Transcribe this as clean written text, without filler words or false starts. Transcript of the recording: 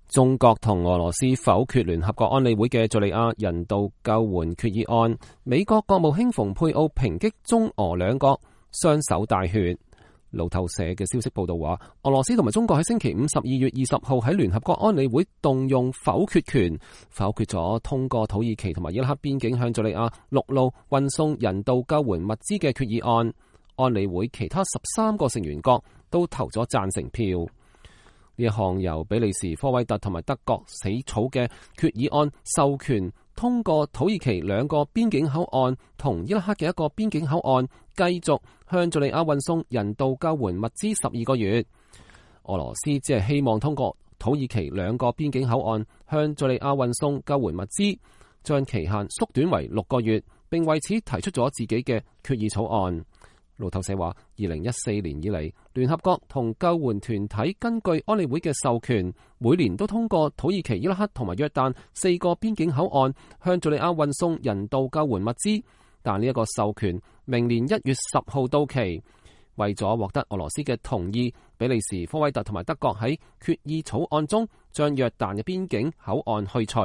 中國同俄羅斯否決聯合國安理會嘅敘利亞人道救援決議案，美國國務卿蓬佩奧抨擊中俄兩國雙手帶血。路透社嘅消息報道話，俄羅斯同埋中國喺星期五12月20號喺聯合國安理會動用否決權，否決咗通過土耳其同埋伊拉克邊境向敘利亞陸路運送人道救援物資嘅決議案。安理會其他13個成員國都投咗贊成票。呢一項由比利時、科威特同埋德國起草嘅決議案，授權通過土耳其2個邊境口岸同伊拉克嘅1個邊境口岸，繼續向敘利亞運送人道救援物資12個月。俄羅斯只係希望通過土耳其2個邊境口岸向敘利亞運送救援物資，將期限縮短為6個月，並為此提出咗自己嘅決議草案。路透社話，2014年以嚟，聯合國同救援團體根據安理會嘅授權，每年都通過土耳其、伊拉克同埋約旦4個邊境口岸向敘利亞運送人道救援物資。但呢一個授權明年1月10號到期，為咗獲得俄羅斯嘅同意，比利時、科威特同埋德國喺決議草案中將約旦嘅邊境口岸去除。